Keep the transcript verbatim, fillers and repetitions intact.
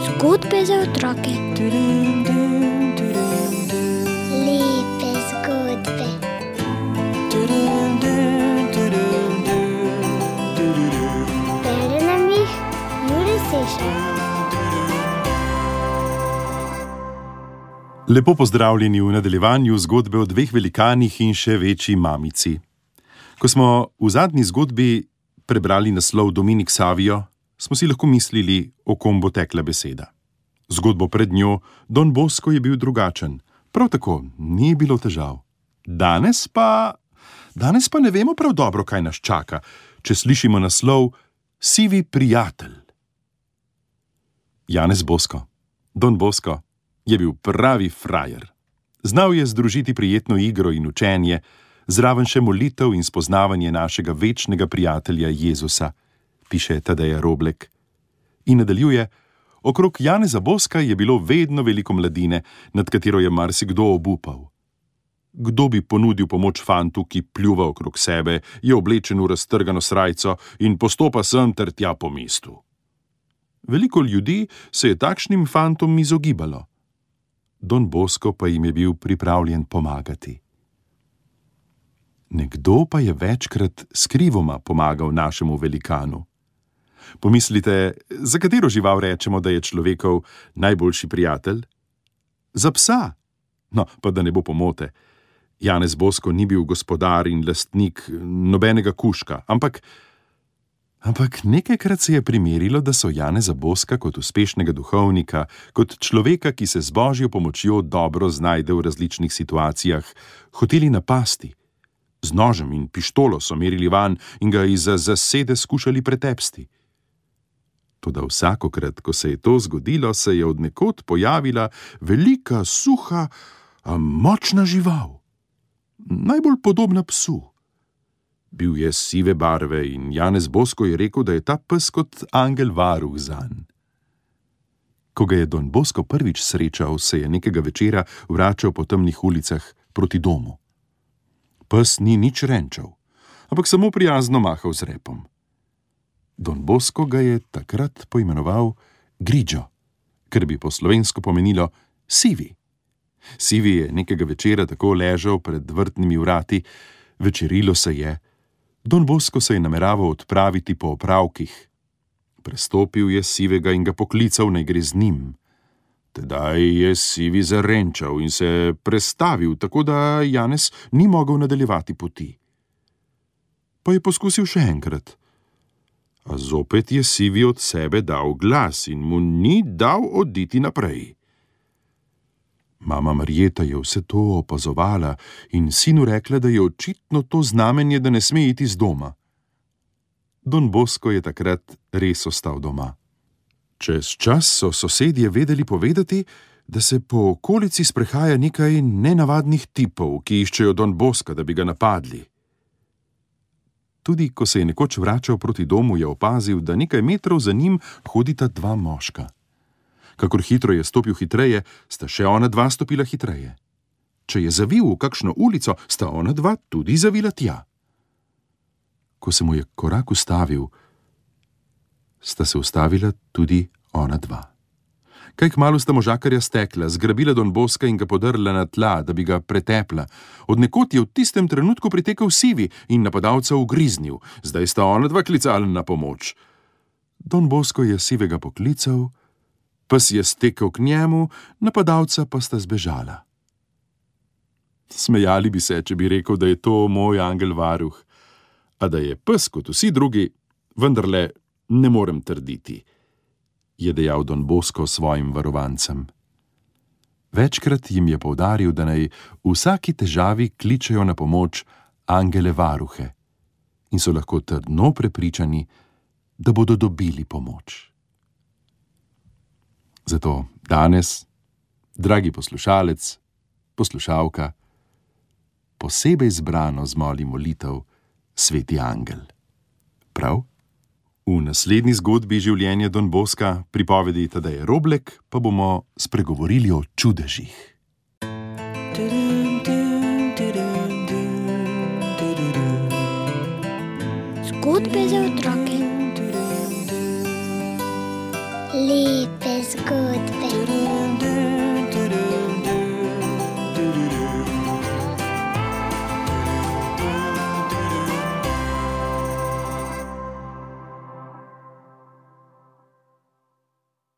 Zgodbe za otroke. Lepe zgodbe. Bere nam jih Jure Sešar. Lepo pozdravljeni v nadaljevanju zgodbe o dveh velikanih in še večji mamici. Ko smo v zadnji zgodbi prebrali naslov Dominik Savio, smo si lahko mislili, o kom bo tekla beseda. Zgodbo pred njo Don Bosco je bil drugačen, prav tako ni bilo težav. Danes pa, danes pa ne vemo prav dobro, kaj nas čaka, če slišimo naslov Sivi prijatelj. Janez Bosco, Don Bosco, je bil pravi frajer. Znal je združiti prijetno igro in učenje, zraven še molitev in spoznavanje našega večnega prijatelja Jezusa, piše Tadeja Roblek. In nadaljuje, okrog Janeza Bosca je bilo vedno veliko mladine, nad katero je marsikdo obupal. Kdo bi ponudil pomoč fantu, ki pljuva okrog sebe, je oblečen v raztrgano srajco in postopa sem ter tja po mestu. Veliko ljudi se je takšnim fantom izogibalo. Don Bosco pa jim je bil pripravljen pomagati. Nekdo pa je večkrat skrivoma pomagal našemu velikanu. Pomislite, za katero žival rečemo, da je človekov najboljši prijatelj? Za psa! No, pa da ne bo pomote. Janez Bosco ni bil gospodar in lastnik nobenega kužka, ampak, ampak nekajkrat se je primerilo, da so Janeza Bosca kot uspešnega duhovnika, kot človeka, ki se z Božjo pomočjo dobro znajde v različnih situacijah, hoteli napasti. Z nožem in pištolo so merili vanj in ga izza zasede skušali pretepsti. Toda vsakokrat, ko se je to zgodilo, se je od nekod pojavila velika, suha, a močna žival. Najbolj podobna psu. Bil je sive barve in Janez Bosco je rekel, da je ta pes kot angel varuh zanj. Ko ga je Don Bosco prvič srečal, se je nekega večera vračal po temnih ulicah proti domu. Pes ni nič renčal, ampak samo prijazno mahal z repom. Don Bosco ga je takrat poimenoval Grigio, ker bi po slovensko pomenilo sivi. Sivi je nekega večera tako ležal pred vrtnimi vrati, večerilo se je. Don Bosco se je nameraval odpraviti po opravkih. Prestopil je sivega in ga poklical, naj gre z njim. Tedaj je sivi zarenčal in se prestavil, tako da Janez ni mogel nadaljevati poti. Pa je poskusil še enkrat. A zopet je sivi od sebe dal glas in mu ni dal oditi naprej. Mama Marjeta je vse to opazovala in sinu rekla, da je očitno to znamenje, da ne sme iti z doma. Don Bosco je takrat res ostal doma. Čez čas so sosedje vedeli povedati, da se po okolici sprehaja nekaj nenavadnih tipov, ki iščejo Don Bosca, da bi ga napadli. Tudi ko se je nekoč vračal proti domu, je opazil, da nekaj metrov za njim hodita dva moška. Kakor hitro je stopil hitreje, sta še ona dva stopila hitreje. Če je zavil v kakšno ulico, sta ona dva tudi zavila tja. Ko se mu je korak ustavil, sta se ustavila tudi ona dva. Kaj kmalu sta možakarja stekla, zgrabila Don Bosca in ga podrla na tla, da bi ga pretepla. Od nekod je v tistem trenutku pritekel sivi in napadalca ugriznil. Zdaj sta ona dva klicala na pomoč. Don Bosco je sivega poklical, pes je stekel k njemu, napadalca pa sta zbežala. Smejali bi se, če bi rekel, da je to moj angel varuh, a da je pes kot vsi drugi, vendarle ne morem trditi, je dejal Don Bosco svojim varovancem. Večkrat jim je poudaril, da naj v vsaki težavi kličejo na pomoč angele varuhe in so lahko trdno prepričani, da bodo dobili pomoč. Zato danes, dragi poslušalec, poslušalka, posebej zbrano zmoli molitev Sveti angel. Prav? V naslednji zgodbi življenja Don Bosca, pripovedi Tadeje Roblek, pa bomo spregovorili o čudežih. Zgodbe za otroke. Lepe zgodbe.